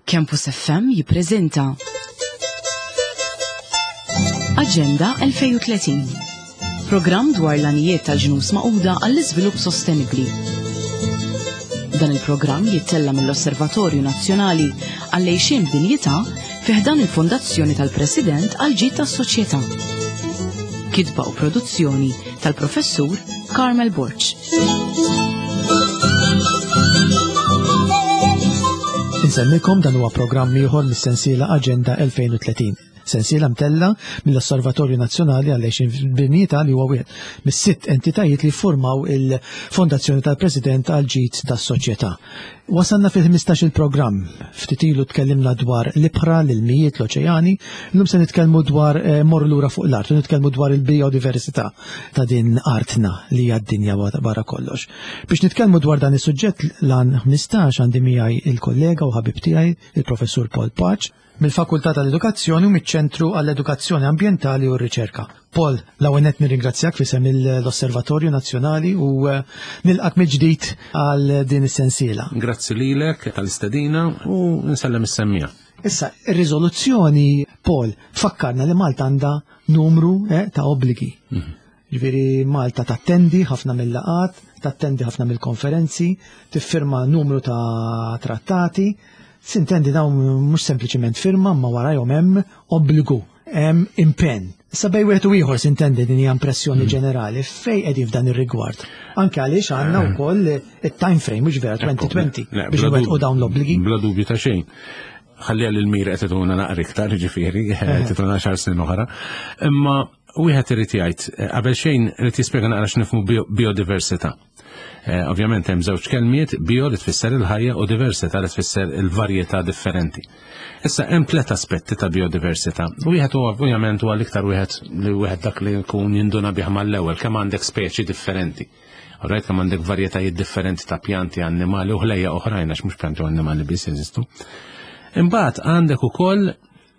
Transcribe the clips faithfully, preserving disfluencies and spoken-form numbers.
Campus F M jippreżenta Aġenda elfejn u tletin. Programm dwar l-għanijiet tal-Ġnus Magħquda għall-iżvilupp sostenibbli. Dan il-programm jittella mill-Osservatorju Nazzjonali għall-Għixien B'Dinjità fi ħdan il-Fondazzjoni tal-President għall-Ġid tas-Soċjetà. Kitba u produzzjoni tal-Professur Carmel Borg. Insellmilkom, dan huwa programm ieħor mis-sensiela Aġenda elfejn u tletin. Sensiela mtella mill-Osservatorju Nazzjonali għall-Għixien B'Dinjità, li huwa wieħed mis-sitt entitajiet li formaw il-Fondazzjoni tal-President għall-Ġid tas-Soċjetà. Wasalna fil-ħmistax il-programm. Ftit ilu tkellimna dwar l-ibħra, l-ilmijiet, l-oċeani. Illum se nitkellmu dwar eh, morru lura fuq l-art u nitkellmu dwar il-biodiversità ta' din artna li hija d-dinja barra kollox. Biex nitkellmu dwar dan is-suġġett, l-għan ħmistax, għandi miegħi il-kollega u ħabib tiegħi, il-Professur Paul Pace, mill-Fakultà tal-Edukazzjoni u miċ-Ċentru għall-Edukazzjoni Ambjentali u r-Riċerka. Paul, l-ewwel nett nirringrazzjak f'isem l-Osservatorju Nazzjonali u eh, nilqak mill-ġdid għal din is-sensiela. Grazzi lilek tal-istedina u nsellem is-semmiegħa. Issa, ir-riżoluzzjoni, Paul, fakkarna li Malta għandha numru eh, ta' obbligi. Mhm. Ġifieri Malta tattendi ħafna mill-laqat, tattendi ħafna mill-konferenzi, tiffirma numru ta' trattati. Sintendi, dawn mhux sempliċement firma, ma warajhom hemm obbligu, hemm impenn. Issa, bejn wieħed u ieħor, sintendi, din hija impressjoni mm. ġenerali, fejn qegħdin f'dan ir-rigward? Anke għaliex għandna eh. wkoll it-time frame, mhux vera, elfejn u għoxrin, biex nwettqu dawn l-obbligi. Bla dubju ta' xejn. Ħalli għal il-mira qed tituna naqra iktar, ġifieri, eh. tituna xar snin oħra. Imma wieħed irid jgħid, eh, qabel xejn irid jispjega naqra x'nifhmu biodiversità. Eh, ovvjament hemm żewġ kelmiet, bio li tfisser il-ħajja u diversità li tfisser il-varjetà differenti. Issa, hemm tliet aspetti ta' biodiversità. Wieħed huwa, ovvjament, huwa l-iktar wieħed li wieħed dak li jkun jinduna bih mal-ewwel, kemm għandek speċi differenti. Alright, kemm għandek varjetajiet differenti ta' pjanti, annimali u ħlejja oħrajn, għax mhux pjanti u annimali biss jeżistu. Imbagħad għandek ukoll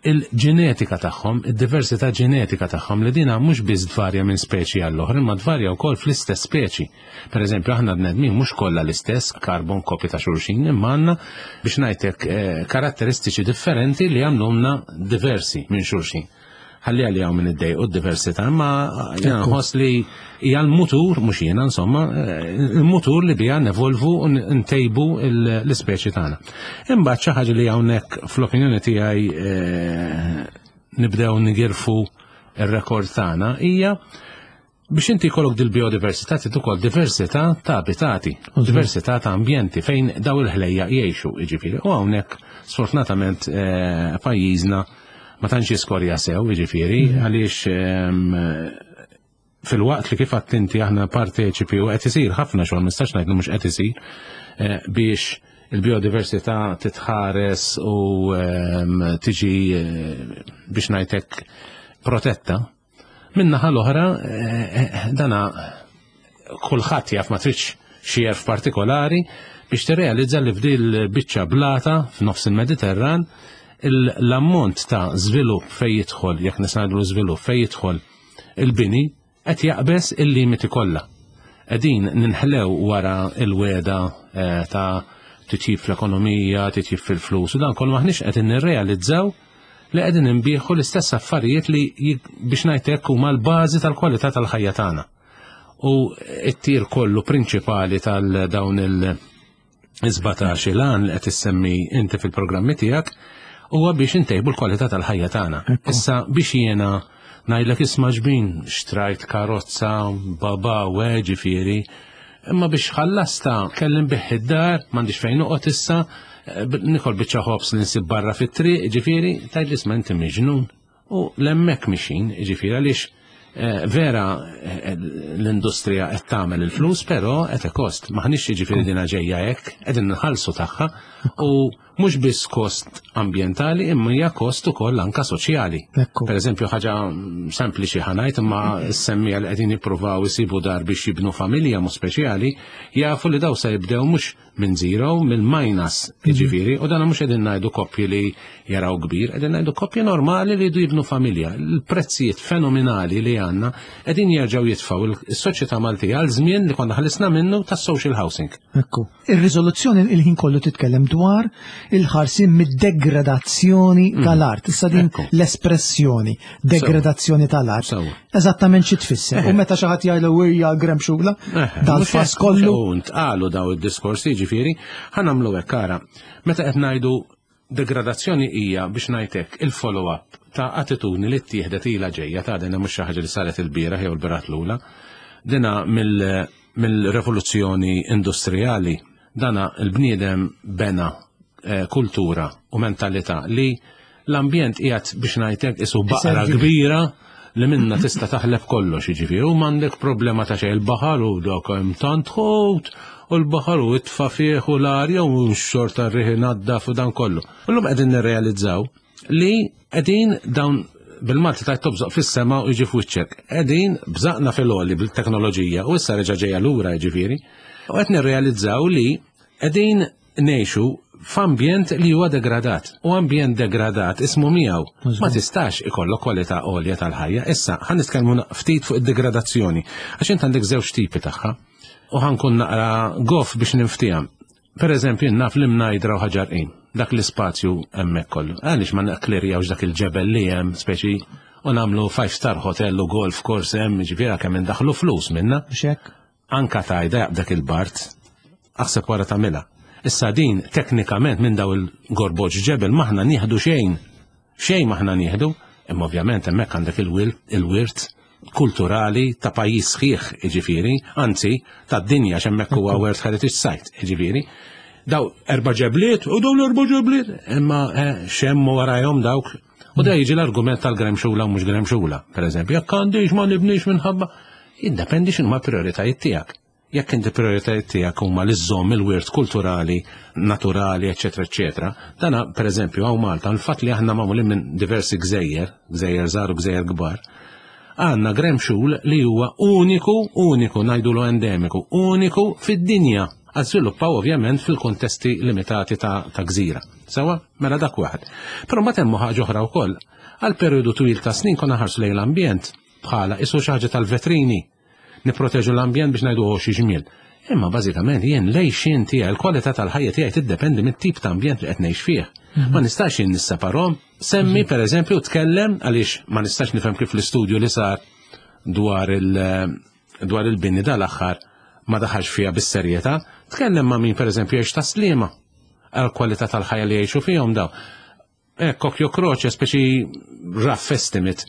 il-ġenetika tagħhom, id-diversità ġenetika tagħhom, li dina mhux biss tvarja minn speċi għall oħra imma tvarja wkoll fl-istess speċi. Per eżempju, aħna bnedmin mhux kollha l-istess carbon copy ta' xulxin, imma għandna, biex ngħidlek, eh, karatteristiċi differenti li jagħmlulna diversi minn xulxin. Ħalli għalli hawn min iddejqu d-diversità, imma jiena nħoss li hija l-mutur, mhux jiena insomma, eh, il-mutur li bija nevolvu u ntejbu l-ispeċi tagħna. Imbagħad xi ħaġa li hawnhekk fl-opinjoni tiegħi eh, nibdew nigirfu ir-rekord tagħna hija biex inti jkollok dil-biodiversità trid ukoll diversità ta' abitati, diversità ta' ambjenti fejn daw il-ħlejja jgħixu, jiġifieri. U hawnhekk sfortunatament eh, pajjiżna ma tantx jiskorja sew, jiġifieri, mhm. għaliex ehm, fil-waqt li, kif inti, aħna parteċipi u qed isir ħafna xogħol, mistax ngħid mhux qed isir, eh, biex il-biodiversità titħares u ehm, tiġi eh, biex ngħidlek protetta. Min-naħa l-oħra, eh, dana kulħadd jaf, ma tridx xi għerf partikolari biex tirrealizza li f'dil biċċa blata f'nofs il-Mediterran l-ammont ta' żvilupp fej jidħol, jekk nisnadlu żvilupp, fej jidħol il-bini, qed jaqbeż il-limiti kollha. Qegħdin ninħlew wara il-wegħda eh, ta' titjib fl-ekonomija, titjib fil-flus, u dan kollu, maħniex qegħdin nirrealizzaw li qegħdin nbigħu l-istess affarijiet li, biex ngħidlek, huma l-bażi tal-kwalità tal-ħajja tagħna. U it-tir kollu prinċipali tal-dawn il-sbatax il-għan li qed issemmi inti fil-programmi tiegħek huwa biex intejbu l-kwalità tal-ħajja tagħna. Issa, biex jiena ngħidlek, "Isma' ġbin, xtrajt karozza, baba, ġifieri, imma biex ħallasta kelli nbigħ id-dar, m'għandix fejn noqgħod issa, eh, nikol biċċa ħobż li nsib barra fit-triq," ġifieri, tgħid, "Isma', inti miġnun." U hemmhekk mexjin, ġifieri, għaliex eh, vera eh, l-industrija qed tagħmel il-flus, però qed kost. Maħniex, ġifieri, dina ġejja hekk, qegħdin nħallsu tagħha, u mhux biss kost ambjentali, imma hija kost ukoll anka soċjali. Per eżempju, ħaġa sempliċi ħa ngħid, imma s-semmiegħa li qegħdin jippruvaw isibu dar biex jibnu familja mu speċjali jafu li daw se jibdew mhux minn zero, mill minus, jiġifieri, u dan mhux qegħdin ngħidu koppji li jaraw kbir, qegħdin ngħidu koppji normali li jridu jibnu familja. Il-prezzijiet fenomenali li għandna qegħdin jerġgħu jitfgħu is-soċjetà Maltija għal żmien li konna ħlisna minnu tas-social housing. Ekku. Ir-riżoluzzjoni il-ħin kollu titkellem dwar dwar il-ħarsien mid-degradazzjoni tal-art. Issa din Ekku. l-espressjoni degradazzjoni tal-art. Sewwa. Eżattament xi tfisser. U meta xi ħadd jgħidlu wirja Gremxula, dal-fass kollu. U ntqalu daw id-diskorsi, ġifieri, ħa nagħmlu hekk ara. Meta qed ngħidu degradazzjoni hija biex ngħidlek il-follow-up ta' attitudni li ttieħdet ilha ġejja ta' dina mhux xi ħaġa li saret il-bieraħ jew il-bieraħ lula. Dina mill- mill-rivoluzzjoni industrijali dana il-bniedem bena eh, kultura u mentalità li l-ambjent qiegħed biex ngħidlek isu baqra Iservi. kbira li minna tista' taħleb kollox, jiġifieri, u m'għandek problema ta' xejn il-baħar u dak hemm tant ħut u l-baħar u itfa' fih u l-arja u x-xorta r-riħ inaddaf u dan kollu. U llum qegħdin nirrealizzaw li qegħdin dawn bil-Malti tajt tobżoq fis-sema u jiġi f'wiċċek. Qegħdin bżaqna fil-għoli bil-teknoloġija u issa reġa' ġejja lura jiġifieri. U qed nirrealizzaw li qegħdin ngħixu f'ambjent li huwa degradat. U ambjent degradat ismu miegħu. Ma tistax ikollok kwalità għolja tal-ħajja. Issa ħa nitkellmu ftit fuq id-degradazzjoni. Għax int għandek żewġ tipi tagħha. U ħa nkun naqra goff biex ninftiehem. Per eżempju, naf l-Imnajdra u Ħaġar Qim, dak l-ispazju hemmhekk kollu. Għaliex ma naqklirjawx dak il-ġebel li hemm speċi u nagħmlu five star hotel u golf course hemm, ġifieri kemm indaħlu flus minna. Xek? Anka tajda jaqbdak il-bart, aħseb wara tagħmilha. Issa din teknikament minn daw il-gorboġ ġebel maħna nieħdu xejn. Xejn maħna nieħdu, imma ovvjament hemmhekk għandek il-wirt kulturali ta' pajjiż sħiħ, jiġifieri, anzi tad-dinja x'hemmhekk huwa World Heritage Site, jiġifieri. Daw erba' ġebliet u daw l-erba' ġebliet, imma eh, xemmu warajhom dawk. U da jiġi l-argument tal-Gremxula u mhux Gremxula, per eżempju, jekk għandix ma nibnix minħabba, jiddependi x'inhuma prioritajiet tiegħek. Jekk inti prioritajiet tiegħek huma li żżomm il-wirt kulturali, naturali, eċetera, eċetera. Dana, per eżempju, hawn Malta, il-fatt li aħna magħmulin minn diversi gżejjer, gżejjer żgħar u gżejjer kbar, għandna Gremxul li huwa uniku, uniku, ngħidulu endemiku, uniku fid-dinja. Għażviluppaw ovvjament fil-kontesti limitati ta', ta' gżira. Sewwa, mela dak waħed. Però ma temmu ħaġa oħra wkoll. Għal periodu twil ta' snin konna ħarsu lejn l-ambjent bħala isu xi ħaġa tal-vetrini. Nipproteġu l-ambjent biex ngħidu xi ġmiel. Imma bażikament jien l-għixien tiegħi, il-kwalità tal-ħajja tiegħi tiddependi mit-tip ta' ambjent li qed ngħix fih. Ma nistax jien nisseparhom. Semmi per eżempju tkellem għaliex ma nistax nifhem kif l-istudju li sar dwar il- dwar il-bini dal-aħħar ma daħalx fiha bis-serjetà, tkellem ma' min per eżempju jgħix Tas-Sliema għal kwalità tal-ħajja li jgħixu fihom daw. Ekk, occhio croce, speċi rough estimate.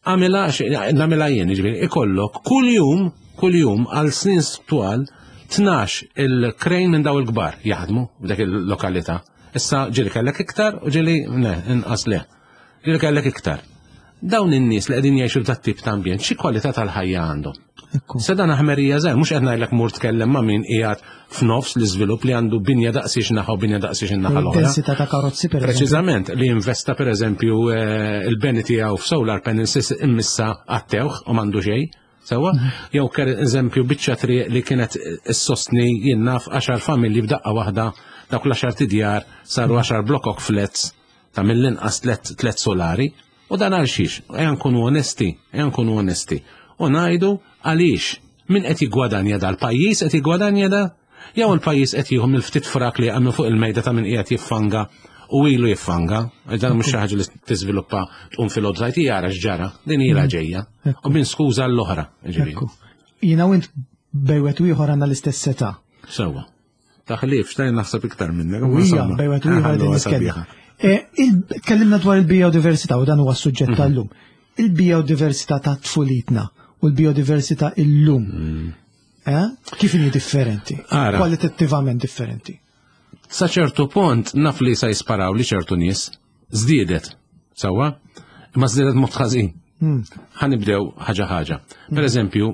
Għamilha, nagħmilha jien, ġifieri, ikollok kull jum, kull jum għal snin twal, tnax il-krejn minn daw il-kbar jaħdmu f'dak il-lokalità. Issa ġieli kellek iktar u ġieli ne, inqas le. Ġieli kellek iktar. Dawn in-nies li qegħdin jgħixu f'dat tip ta' ambjent, xi kwalità tal-ħajja għandhom? Ekku. Se dan ħmerija żgħir, mhux qed ngħidlek mur tkellem ma' min qiegħed f'nofs l-iżvilupp li għandu binja daqsiex naħa u binja daqsiex in-naħa l-oħra. Densità ta' karozzi per eżempju. Preċiżament li investa per eżempju eh, il-beni tiegħu f'solar panels immissa għattewh u m'għandu xejn. Sewwa? Jew per eżempju biċċa triq li kienet issostni jien naf għaxar familji b'daqqa waħda dawk l-għaxar tidjar saru għaxar blokok flats ta' mill-inqas tlet tlet solari. U dan għal xiex, ejja nkunu onesti, ejja nkunu onesti. U ngħidu għaliex min qed jiggwadanja da l-pajjiż qed jiggwadanja da jew il-pajjiż qed jieħu mill-ftit frak li għamlu fuq il-mejda ta' min qiegħed jiffanga u ilu jiffanga, dan mhux xi ħaġa li tiżviluppa tqum fil-website jara x'ġara, din ilha ġejja. U minn skuża l-oħra, ġifieri. Ekku. Jiena u int bejn wieħed u ieħor għandna l-istess età. Sewwa. Taħlif, xtajn naħseb iktar minnek. U hija bejn wieħed u ieħor qegħdin nitkellem. Eh, il- Tkellimna dwar il-biodiversità u dan huwa s-suġġett tal-lum. Il-biodiversità ta' tfulitna u l-biodiversità illum. Eh? Kif inhi differenti? Ara. Kwalitattivament differenti. Sa ċertu punt naf li sa jisparaw li ċertu nies żdiedet. Sewwa? Imma żdiedet mod ħażin. Ħa nibdew ħaġa ħaġa. Per eżempju,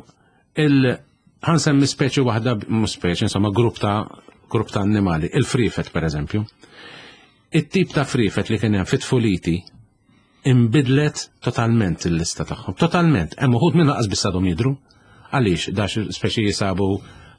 il ħa nsemmi speċi waħda, mhux speċi, insomma grupp ta' grupp ta' annimali, il-frifet per eżempju. It-tip ta' frifet li kien hemm fit-tfuliti imbidlet totalment il-lista tagħhom. Totalment. Hemm uħud minn lanqas biss għadhom jidru. Għaliex dax speċi jisabu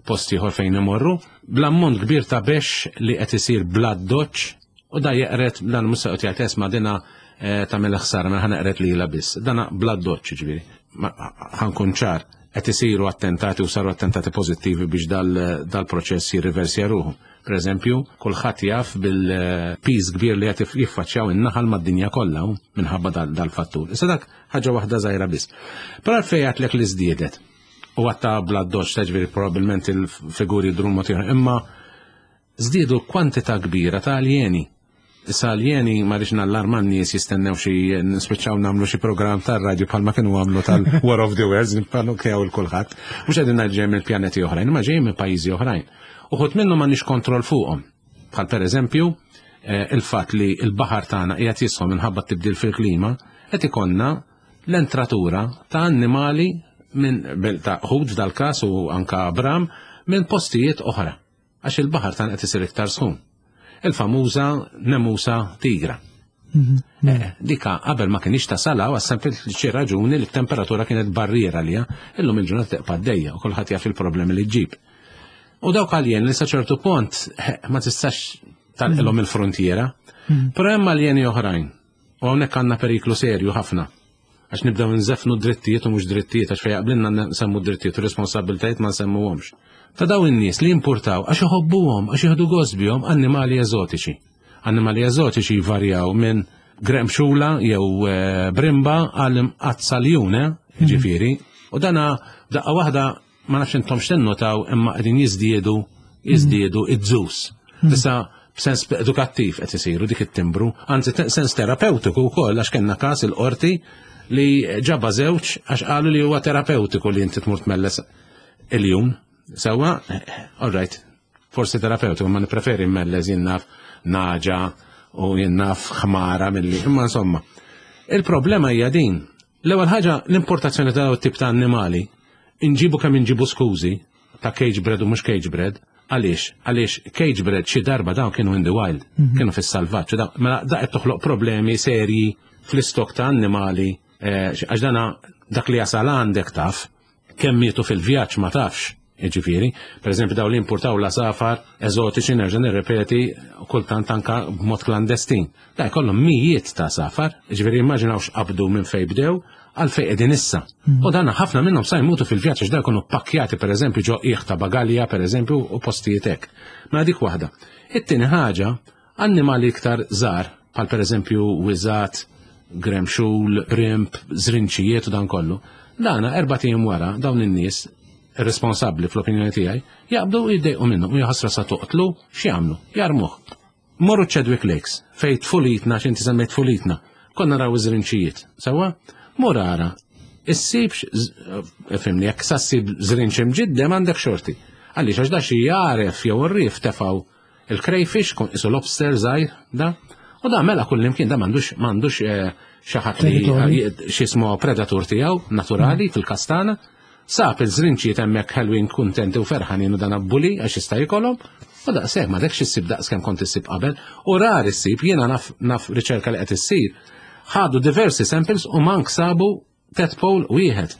post ieħor fejn imorru, bl-ammont kbir ta' bex li qed isir bla doċ u da jeqret dan mhux se jgħid esma' dina eh, tagħmel ħsara mela ħa neqret lilha biss. Dana bla doċ ġifieri. Ħa nkun ċar qed isiru attentati u saru attentati pożittivi biex dal-proċess jirriversja ruħu. Per eżempju, kulħadd jaf bil-piż kbir li qed jiffaċċjaw in-naħal mad-dinja kollha minħabba dal-fattur. Issa dak ħaġa waħda żgħira biss. Però għalfejn għedtlek li żdiedet. U għatta bla doċ, ġifieri probabbilment il-figuri jdru mod ieħor, imma żdiedu kwantità kbira ta' aljeni. Issa aljeni ma rridx nallarma n-nies jistennew xi nispiċċaw nagħmlu xi programm tar-radju bħalma kienu għamlu tal-War of the Worlds, nippanukjaw 'il kulħadd. Mhux qegħdin ngħid ġej minn pjaneti oħrajn, imma ġej minn pajjiżi oħrajn. Uħud minnhom m'għandniex kontroll fuqhom. Bħal pereżempju eh, il-fatt li l-baħar tagħna qiegħed jisħon minħabba tibdil fil-klima, qed ikollna l-entratura ta' annimali minn ta' ħut f'dal-każ u anka bram minn postijiet oħra. Għax il-baħar tagħna qed isir iktar sħun. Il-famuża nemusa tigra. Mhm. Eh, dika qabel ma kienx tasal għas sempliċi raġuni li t-temperatura kienet barriera lija, illum il-ġurnata teqpa' għaddejja u kulħadd jaf il-problemi li ġġib. U dawk aljeni li sa ċertu punt eh, ma tistax tagħlqilhom il-frontiera, però hemm aljeni oħrajn. U hawnhekk għandna periklu serju ħafna. Għax nibdew nżefnu drittijiet u mhux drittijiet, għax fejn jaqblilna nsemmu drittijiet u responsabbiltajiet ma nsemmuhomx. Ta' daw in-nies li importaw għax iħobbuhom, għax jieħdu gost bihom annimali eżotiċi. Annimali eżotiċi jvarjaw minn gremxula jew eh, brimba għal imqazza ljun, ġifieri. U dana daqqa waħda ma nafx intom x'tinnotaw imma qegħdin jiżdiedu jiżdiedu iż-zoos. Issa b'sens edukattiv qed isiru dik it-timbru, anzi sens terapeutiku wkoll, għax kellna każ il-qorti li ġaba żewġ għax qalu li huwa terapeutiku li inti tmur tmelles iljun. Sewwa, all right, forsi terapeutiku, ma nippreferi mmelles jien naf nagħġa u jien naf ħmara milli, imma insomma. Il-problema hija din. L-ewwel ħaġa, l-importazzjoni ta' dawn tip ta' annimali, inġibu kemm inġibu skużi ta' cage bred u mhux cage bred, għaliex? Għaliex cage bred xi darba dawn kienu in the wild, kienu fis-salvaġġ, da- mela da qed toħloq problemi serji fl-istok ta' annimali, eh, għax dana dak li jasal għandek taf, kemm mietu fil-vjaġġ ma tafx. Ġifieri, per eżempju daw li importaw l-għasafar eżotiċi, nerġa' nirrepeti, kultant anka b'mod klandestin. Da jkollhom mijiet ta' għasafar, ġifieri immaġinaw x'qabdu minn fejn bdew għal fejn qegħdin issa. U dan ħafna minnhom sa jmutu fil-vjaġġ għax da jkunu pakkjati per eżempju ġo qiegħ ta' bagalja per eżempju u postijiet hekk. Ma dik waħda. It-tieni ħaġa, annimali iktar żgħar, bħal per eżempju wiżgħat, gremxul, brimb, żrinċijiet u dan kollu. Dana erbat ijiem wara dawn in-nies responsabbli fl-opinjoni tiegħi jaqbdu u jiddejqu minnhom u jaħasra sa toqtlu, x'jagħmlu? Jarmuh. Morru Chadwick Lakes, fej tfulitna, x'inti semmejt tfulitna, konna naraw iż-żrinċijiet. Sewwa? Mur ara, issibx, fhimni, jekk sa ssib żrinċ imġiddem għandek xorti. Għaliex, għax da xi jaref jew ir-rif tefgħu il-crayfish, kun isu lobster żgħir, da. U da mela kull imkien, da m'għandux m'għandux eh, xi ħadd li Territorju. x'ismu predatur tiegħu naturali fil-kastana. Sab il-żrinċijiet hemmhekk ħelwin, kuntenti u ferħanin u dan abbuli għax jista' jkollhom. U daqshekk ma dekx issib daqs kemm kont issib qabel u rar issib. Jiena naf naf riċerka li qed issir. Ħadu diversi samples u mank sabu tadpole wieħed.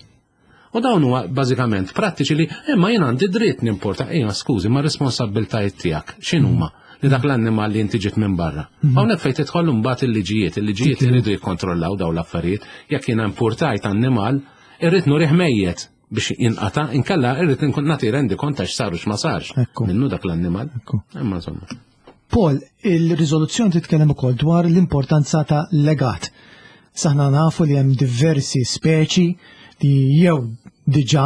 U dawn huwa bażikament prattiċi li imma jien għandi dritt nimporta, ejja skużi, ma responsabbiltajiet tiegħek x'inhuma li dak l-annimal li inti ġiet minn barra? Hawnhekk fejn tidħol mbagħad il-liġijiet, il-liġijiet iridu jikkontrollaw dawn l-affarijiet. Jekk jiena importajt annimal, irrid nurih mejjet biex jinqata, inkella irrid nkun nagħti rendi kont għax saru x'ma sarx Ekku. minnu dak l-annimal. Ekku. Imma insomma. Paul, il-riżoluzzjoni titkellem ukoll dwar l-importanza ta' legat. Aħna nafu li hemm diversi speċi li jew diġà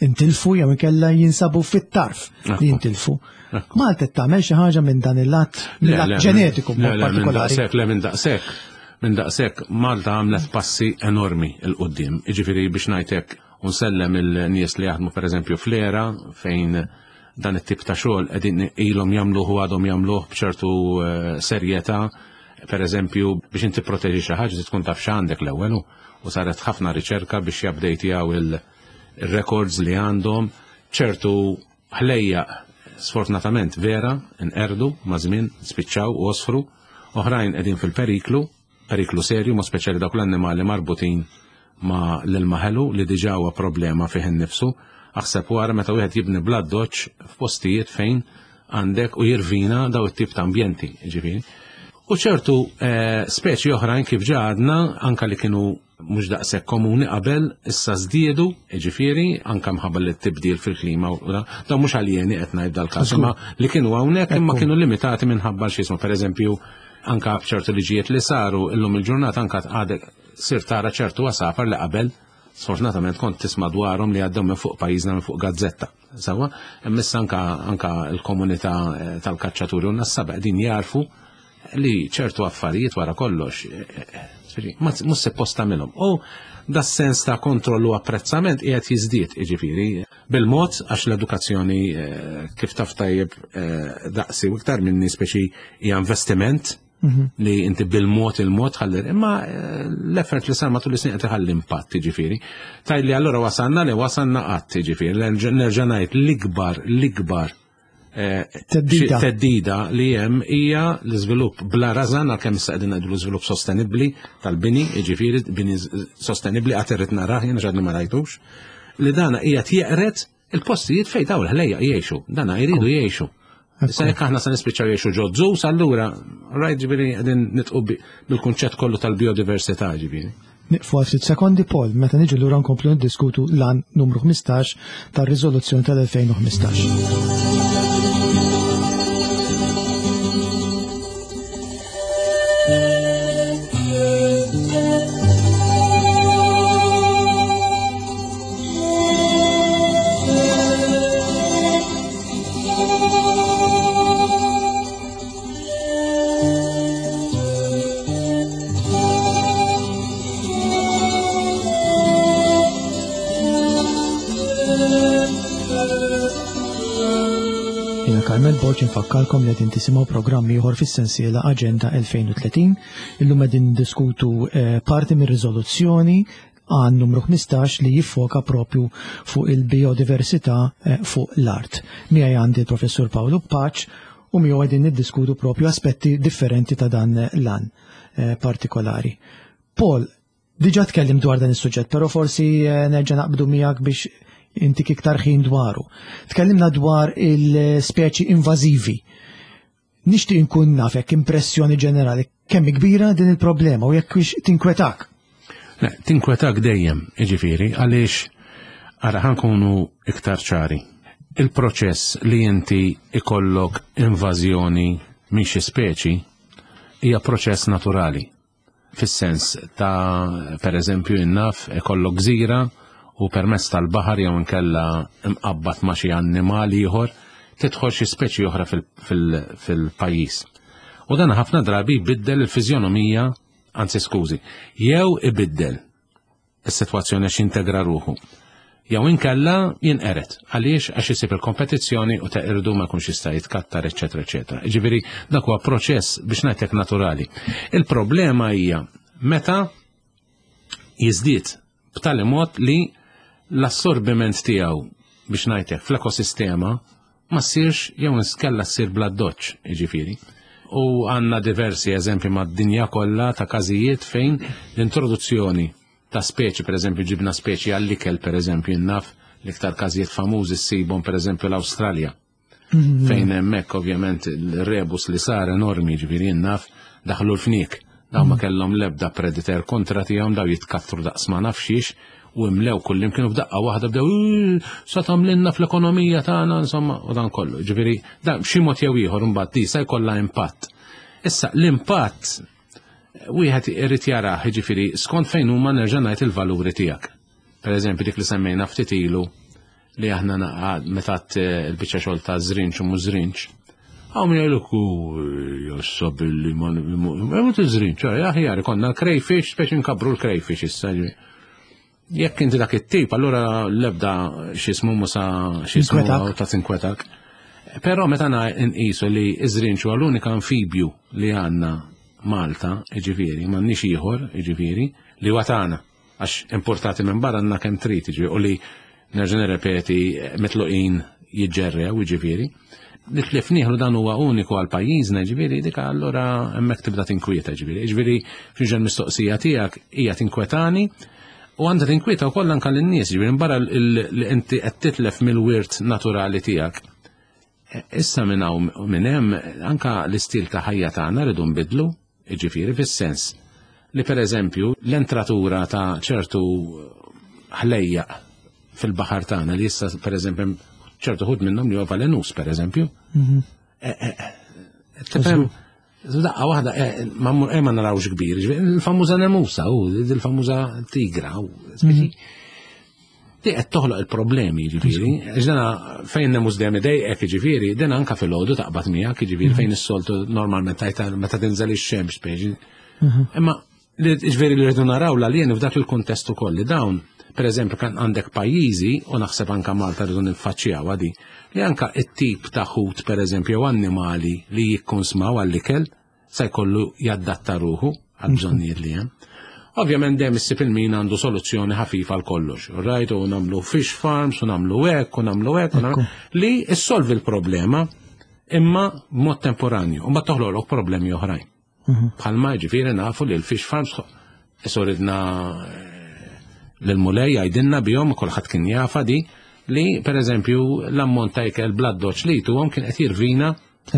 intilfu jew inkella jinsabu fit-tarf li Ekku. jintilfu. Ekku. Malta qed tagħmel xi ħaġa minn dan il-lat, mill-lat ġenetiku le, b'mod le, minn partikolari? daqshekk, le, minn daqshekk. Minn daqshekk Malta għamlet passi enormi 'l quddiem. Jiġifieri biex ngħidlek u nsellem il-nies li jaħdmu pereżempju fl-ERA, fejn dan it-tip ta' xogħol qegħdin ilhom jagħmluh u għadhom jagħmluh b'ċertu eh, serjetà. Per eżempju, biex inti proteġi xi ħaġa tkun taf x'għandek l-ewwel u u saret ħafna riċerka biex jabdejtjaw il-records li għandhom ċertu ħlejjaq. Sfortunatament vera nqerdu ma' żmien, spiċċaw u osfru, oħrajn qegħdin fil-periklu, periklu serju, ma speċjali dawk l-annimali marbutin ma l-ilma ħelu li diġà huwa problema fih innifsu. Aħseb wara meta wieħed jibni bl-addoċċ f'postijiet fejn għandek u jirvina daw it-tip ta' ambjenti, ġifieri. U ċertu eh, speċi oħrajn kif ġa għadna, anka li kienu mhux daqshekk komuni qabel, issa żdiedu, jiġifieri, anka mħabba li tibdil fil-klima u da, dawn mhux aljeni qed ngħid dal-każ, imma li kienu hawnhekk imma Ekku. kienu limitati minħabba xi jismu, pereżempju, anka ċertu liġijiet li saru illum il-ġurnata anka għadek sir tara ċertu għasafar li qabel sfortunatament kont tisma' dwarhom li għaddew minn fuq pajjiżna minn fuq gazzetta. Sawa, imma issa anka anka l-komunità eh, tal-kaċċaturi u n-nassaba qegħdin jarfu li ċertu affarijiet wara kollox, eh, eh, ġifieri, ma mhux suppost tagħmilhom. U da sens ta' kontrollu apprezzament qiegħed jiżdied, jiġifieri, bil-mod għax l-edukazzjoni, eh, kif taf tajjeb, eh, daqsi u iktar minni speċi hija investiment li inti bil-mod il-mod ħalli, imma, eh, l-effort li sar matul is-snin qed iħalli impatt, jiġifieri. Tajli allura wasalna li wasalna qatt, jiġifieri, nerġa' nerġa' ngħid l-ikbar, l-ikbar, eh, Teddida. xi teddida li hemm hija l-iżvilupp bla rażan, għalkemm issa qegħdin ngħidu l-iżvilupp sostenibbli tal-bini, jiġifieri bini sostenibbli qatt irrid narah jien għadni ma rajtux, li dana hija jeqret il-postijiet fejn dawn il-ħlejjaq jgħixu, dana jridu jgħixu. Issa jekk aħna se nispiċċaw jgħixu ġo zoos, allura rajt ġifieri qegħdin nitqu bi-, bil-kunċett kollu tal-biodiversità ġifieri. Nieqfu għal ftit sekondi, Paul, meta niġu lura nkomplu niddiskutu l-għan numru ħmistax tar-riżoluzzjoni tal-elfejn u ħmistax. Jiena Carmel Borg infakkarkom li qegħdin tisimgħu programm ieħor fis-sensiela Aġenda elfejn u tletin. Illum qegħdin niddiskutu, eh, parti mir-riżoluzzjoni għan numru ħmistax li jiffoka propju fuq il-biodiversità, eh, fuq l-art. Miegħi għandi l-Professur Paolo Pace u miegħu qegħdin niddiskutu propju aspetti differenti ta' dan l-għan, eh, partikolari. Paul, diġà tkellim dwar dan is-suġġett, però forsi, eh, nerġa' naqbdu miegħek biex intik iktar ħin dwaru. Tkellimna dwar il-speċi invażivi. Nixtieq inkun naf hekk impressjoni ġenerali kemm kbira din il-problema u jekk hix tinkwetak. Le, tinkwetak dejjem, jiġifieri, għaliex ara ħankunu iktar ċari. Il-proċess li inti ikollok invażjoni minn xi speċi hija proċess naturali. Fis-sens ta' per eżempju innaf ikollok gżira u permezz tal-baħar jew inkella imqabbad ma' xi annimal ieħor tidħol xi speċi oħra fil-, fil-, fil-pajjiż. U dan ħafna drabi jbiddel il-fiżjonomija, anzi skużi, jew ibiddel is-sitwazzjoni għax jintegra ruħu. Jew inkella jinqeret. Għaliex? Għax isib il-kompetizzjoni u teqirdu ma jkunx jista' jitkattar, eċċetera, eċċetera. Jiġifieri dak huwa proċess biex ngħidlek naturali. Il-problema hija meta jiżdied b'tali mod li l-assorbiment tiegħu biex ngħidlek fl-ekosistema ma ssirx jew inkella ssir bla doċċ, jiġifieri. U għandna diversi eżempji mad-dinja kollha ta' każijiet fejn l-introduzzjoni ta' speċi, per eżempju ġibna speċi għall-ikel, per eżempju, naf l-iktar każijiet famużi ssibhom per eżempju l-Awstralja. Mhm. Fejn hemmhekk ovvjament il-rebus li sar enormi, ġifieri naf daħlu l-fniek. Daw ma Mhm. kellhom l-ebda predator kontra tiegħhom, daw jitkattru daqs ma nafxiex u imlew kullimkien u f'daqqa waħda bdew, Uu, sa tagħmlilna fl-ekonomija tagħna, insomma, u dan kollu. Ġifieri, dan b'xi mod jew ieħor imbagħad di sa jkollha impatt. Issa l-impatt wieħed irid jarah, jiġifieri, skont fejn huma nerġa' ngħid il-valuri tiegħek. Per eżempju, dik li semmejna ftit ilu li aħna naqa' meta għadt il-biċċa xogħol ta' żrinċ u mhux żrinċ. Hawn min jgħidlek, u jassa billi ma n-, ma n-, ma tiżrinċ, ċe, aħjar ikollna l-crayfish, speċi nkabru l-crayfish issa. Jekk inti dak it-tip, allura l-ebda x'ismu musa x'ismu Inkwetak. ta' tinkwetak. Però meta na nqisu li iż-żrinċ huwa l-unika amfibju li għandna Malta, jiġifieri, m'għandniex ieħor, jiġifieri, li huwa tagħna, għax importati minn barra għandna kemm trid, jiġifieri, u li nerġa' nirrepeti mitluqin jiġġerrew, jiġifieri. Li tlif nieħlu dan huwa uniku għal pajjiżna, jiġifieri, dik allura hemmhekk tibda tinkwieta, jiġifieri. Jiġifieri, f'ġen mistoqsija tiegħek hija tinkwetani u għandha tinkwieta wkoll anke lin-nies, jiġifieri, barra l-, l-, li inti qed titlef mill-wirt naturali tiegħek. Issa minn hawn minn hemm anka l-istil ta' ħajja tagħna rridu nbidlu, jiġifieri fis-sens li pereżempju l-entratura ta' ċertu ħlejjaq fil-baħar tagħna li issa pereżempju ċertu ħut minnhom li huwa valenus pereżempju. Mhm. Eh, eh, eh, tifhem, daqqa waħda ma ma narawx kbir, il-famuża nemusa u il-famuża tigra u mhm. Di qed toħloq il-problemi, ġifieri. Ġdana fejn nemus dejjem idejqek, ġifieri, din anka fil-ħodu taqbad miegħek, ġifieri mhm. fejn is-soltu normalment tajta meta tinżel ix-xemx speċi. Mhm. Imma ġifieri li rridu naraw l-għalien f'dak il-kuntest ukoll li dawn, per eżempju, kan għandek pajjiżi, u naħseb anka Malta rridu niffaċċjaw għadi, li anka it-tip ta' ħut, per eżempju, annimali li jikkonsmaw għall-ikel, se jkollu jaddatta ruħu għal bżonnijiet li hemm. Ovvjament dejjem issib il-min għandu soluzzjoni ħafifa għal kollox. Right, u nagħmlu fish farms, u nagħmlu hekk, u nagħmlu hekk, li issolvi l-problema imma b'mod temporanju, u mbagħad toħloqlok problemi oħrajn. Mhm. Bħalma ġifieri nafu li l-fish farms ridna eh, l-Mulej jgħidilna bihom kulħadd kien jafa di li pereżempju l-ammont ta' ikel bl-addoċ li jtuhom kien qed jirvina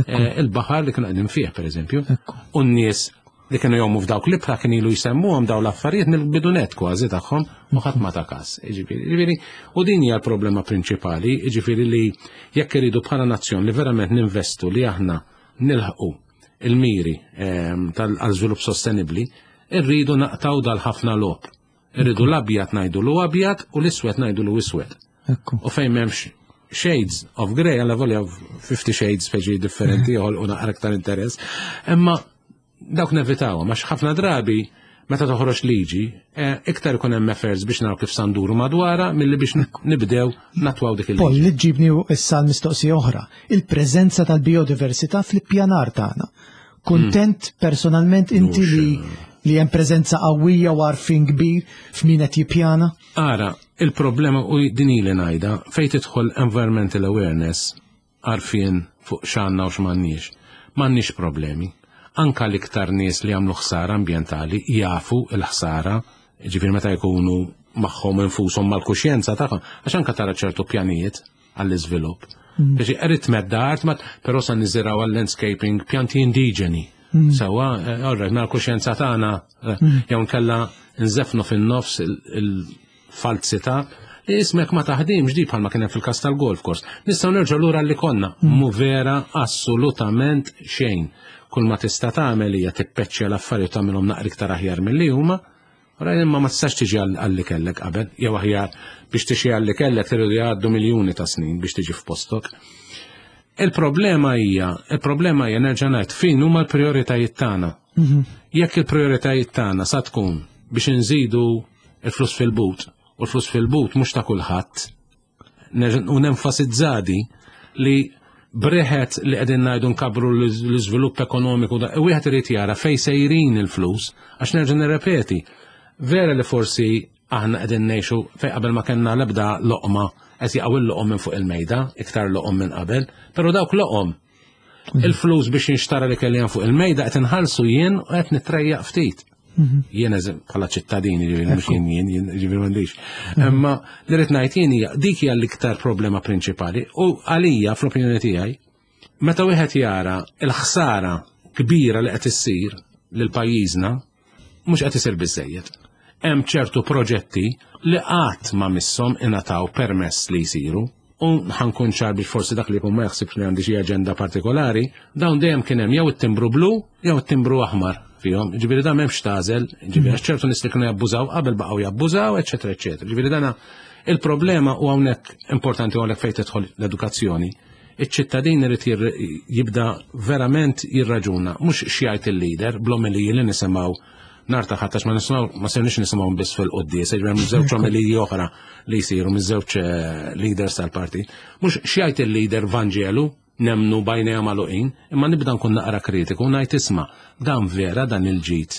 eh, il-baħar li kienu qegħdin fih pereżempju. U n-nies li kienu jgħumu f'dawk l-ibħra kien ilu jsemmuhom daw l-affarijiet mill-bidunet kważi tagħhom u ħadd ma ta' każ. Ġifieri, u din hija l-problema prinċipali, jiġifieri li jekk iridu bħala nazzjon li verament ninvestu li aħna nilħqu il-miri ehm, tal-żvilupp sostenibbli, irridu naqtaw dal-ħafna logħob. Irridu l-abjad ngħidu lu abjad u l-iswed ngħidu lu iswed. U fejn m'hemmx shades of grey, għalla volja fifty shades feġi differenti joħolqu naqra aktar interess. Imma dawk nevitaw, għax ħafna drabi meta toħroġ liġi, eh, iktar ikun hemm efforts biex naraw kif sanduru madwara milli biex nibdew natwaw dik il-liġi. Paul, li ġibni issa l-mistoqsija oħra, il-preżenza tal-biodiversità fl-ippjanar tagħna. Kuntent hmm. personalment inti li li hemm preżenza qawwija u għarfien kbir f'min qed jippjana? Ara, il-problema u din ili ngħidha fejn tidħol environmental awareness, għarfien fuq x'għandna u x'm'għandniex. M'għandniex problemi. Anka l-iktar nies li għamlu ħsara ambjentali jafu l-ħsara, ġifieri meta jkunu magħhom infushom mal-kuxjenza tagħhom, għax anka tara ċertu pjanijiet għall-iżvilupp. Mm. Biex irrid medda art, però sa niżiraw għall-landscaping pjanti indiġeni. Mm. Sawa, eh, alright, mal-kuxjenza tagħna eh, mm. jew nkella nżefnu fin-nofs il-falsità li ismek ma taħdimx di bħalma kien hemm fil-każ tal-golf course. Nistgħu nerġgħu lura li konna. Mu vera assolutament xejn. Kull ma tista' tagħmel hija tippeċċja l-affarijiet tagħmilhom naqra iktar aħjar milli huma. Ora imma ma tistax tiġi għalli kellek qabel, jew aħjar biex tiġi għalli kellek tridu jgħaddu miljuni ta' snin biex tiġi f'postok. Il-problema hija, il-problema hija nerġa' ngħid fejn huma l-prijoritajiet tagħna. Mhm. Jekk il-prijoritajiet tagħna sa tkun biex inżidu il-flus fil-but, u l-flus fil-but mhux ta' kulħadd, u nenfasizzadi li breħet li qegħdin ngħidu nkabru l-iżvilupp ekonomiku, da, wieħed irid jara fejn sejrin il-flus, għax nerġa' nirrepeti, vera li forsi aħna qegħdin ngħixu fejn qabel ma kellna l-ebda loqma qed jaqgħu il-loqom minn fuq il-mejda, iktar loqom minn qabel, però dawk loqom il-flus biex jinxtara li kelli fuq il-mejda qed inħallsu jien u qed nitrejjaq ftit. Mhm. Jien bħala ċittadini, ġifieri mhux jien jien, jien ġifieri m'għandix. Imma li rrid ngħid jien hija dik hija l-iktar problema prinċipali u għalija fl-opinjoni tiegħi meta wieħed jara l-ħsara kbira li qed issir lil pajjiżna mhux qed isir biżejjed. Hemm ċertu proġetti li qatt ma misshom ingħataw permess li jsiru. U ħankun ċar biex forsi dak li jkun ma jaħsibx li għandi xi aġenda partikolari, dawn dejjem kien hemm jew it-timbru blu jew it-timbru aħmar fihom. Ġifieri dan m'hemmx tażel, ġifieri għax ċertu nies li kienu jabbużaw qabel baqgħu jabbużaw, eċetera, eċetera. Ġifieri dana il-problema u hawnhekk importanti hawnhekk fejn tidħol l-edukazzjoni. Iċ-ċittadin irid jibda verament jirraġuna, mhux x'jgħid il-leader bl-omeliji li nisimgħu nar ta' ħadd, għax ma nisimgħu, ma sirniex nisimgħu biss fil-quddies, ġifieri hemm żewġ omeliji oħra li jsiru miż-żewġ eh, leaders tal-partit. Mhux x'jgħid il-leader Vanġelu, nemnu bajnejha magħluqin, imma nibda nkun naqra kritiku u ngħid isma' dan vera dan il-ġid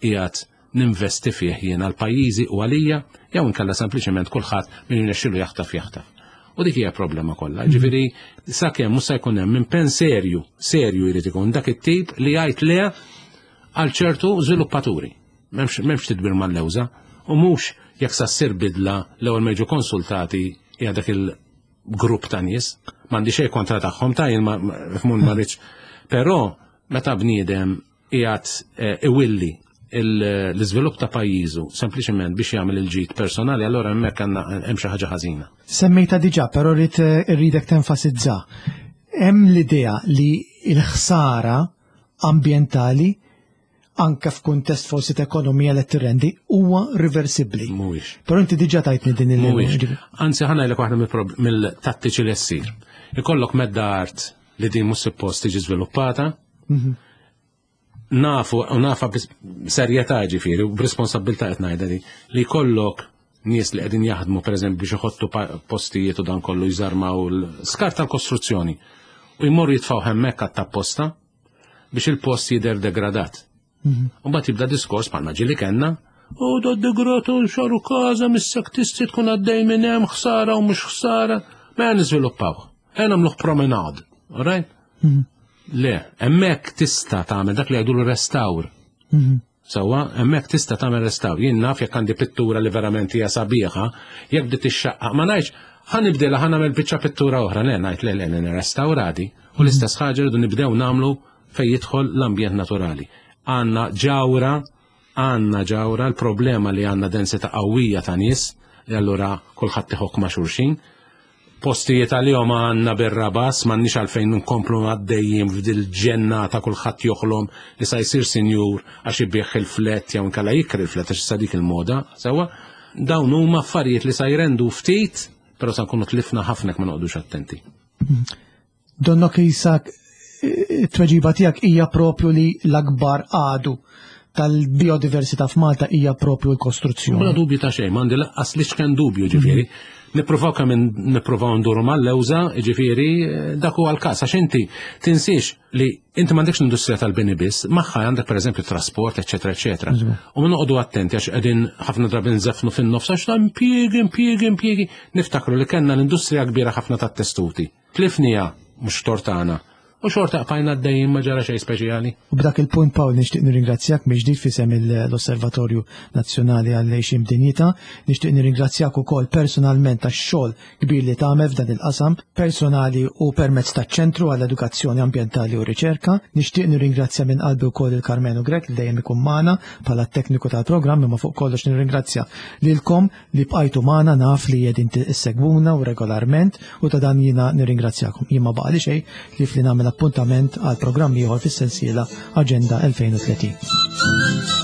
qiegħed ninvesti fih jien għal pajjiżi u għalija, jew inkella sempliċement kulħadd min jirnexxilu jaħtaf jaħtaf. U dik hija problema kollha. Ġifieri sakemm mhux se jkun hemm impenn serju, serju jrid ikun dak it-tip li jgħid le għal ċertu żviluppaturi. M'hemmx, m'hemmx tidbir mal-lewża u mhux jekk sa ssir bidla l-ewwel ma jiġu konsultati hija dak il grupp ta' nies, m'għandi xejn kontra tagħhom ta' jien ma fmun ma rridx. Però meta bniedem qiegħed eh, iwilli l-iżvilupp ta' pajjiżu sempliċement biex jagħmel il-ġid personali, allora hemmhekk għandna hemm xi ħaġa ħażina. Semmejta diġà, però rrid irridek tenfasizza. Hemm l-idea li l-ħsara ambjentali anke f'kuntest forsi ta' ekonomija li tirrendi huwa riversibbli. Mhuwiex. Però inti diġà tajtni din il Mhuwiex. Anzi, ħa ngħidlek waħda mill-tattiċi li ssir. Ikollok medda art li din mhux suppost tiġi żviluppata. Mhm. Nafu, u nafa b'serjetà ġifieri, u b'responsabbiltà qed ngħidha di, li jkollok nies li qegħdin jaħdmu, pereżempju, biex iħottu postijiet u dan kollu, jżarmaw l-skart tal-kostruzzjoni u jmorru jitfgħu hemmhekk għat-tapposta biex il-post jidher degradat. Mhm. U mbagħad jibda diskors bħalma ġieli kellna u do degratu xaru każa missek tisti tkun għaddej minn hemm, ħsara u mhux ħsara, ma niżviluppaw. Ejja nagħmluh promenade, all right? Mhm. Le, hemmhekk tista' tagħmel dak li jgħidulu restawr. Mhm. Sewwa, hemmhekk tista' tagħmel restawr. Jien naf jekk għandi pittura li verament hija sabiħa, jekk bdiet ixxaqqa, ma ngħidx ħa nibdilha, ħa nagħmel biċċa pittura oħra, le, ngħid le, le, nirrestawradi. U l-istess ħaġa rridu nibdew nagħmlu fejn jidħol l-ambjent naturali. Għandna ġawra, għandna ġawra, l-problema li għandna densità qawwija ta' nies, li allura kulħadd iħokk ma' xulxin. Postijiet għalihom għandna bir-rabas, m'għandniex għalfejn nkomplu għaddejjin f'dil ġennata, kulħadd joħlom li sa jsir sinjur għax ibigħ il-flat jew inkella jikri il-flat għax issa dik il-moda, sewwa. Dawn huma affarijiet li sa jrendu ftit, però sa nkunu tlifna ħafna ma noqogħdux attenti. Donnok jisak it-tweġiba tiegħek hija propju li l-akbar għadu tal-biodiversità f'Malta hija propju l-kostruzzjoni. Bla dubju ta' xejn, m'għandi laqqas li xken dubju ġifieri. Nippruvaw kemm nippruvaw nduru mal-lewża, ġifieri dak huwa l-każ, għax inti tinsiex li inti m'għandekx l-industrija tal-bini biss, magħha għandek, pereżempju, trasport, eċetera, eċetera. U ma noqogħdu attenti għax qegħdin ħafna drabi nżefnu fin-nofs għax ta' impjiegi, impjiegi, impjiegi. Niftakru li kellna l-industrija kbira ħafna tat-testuti. Tlifnieha, mhux tort tagħna. U xorta bqajna għaddejjin, ma ġara xejn speċjali. U b'dak il-punt, Paul, nixtieq nirringrazzjak mill-ġdid f'isem l-Osservatorju Nazzjonali għall-Għixien b'Dinjità. Nixtieq nirringrazzjak ukoll personalment tax-xogħol kbir li tagħmel f'dan il-qasam personali u permezz taċ-Ċentru għall-Edukazzjoni Ambjentali u Riċerka. Nixtieq nirringrazzja minn qalbi wkoll il-Karmenu Grek li dejjem ikun magħna bħala tekniku tal-programm, imma fuq kollox nirringrazzja lilkom li bqajtu magħna, naf li qegħdin issegwuna u regolarment u ta' dan jiena nirringrazzjakom. Jien ma baqali xejn li fli nagħmel appuntament għal programm ieħor fis-sensiela Aġenda elfejn u tletin.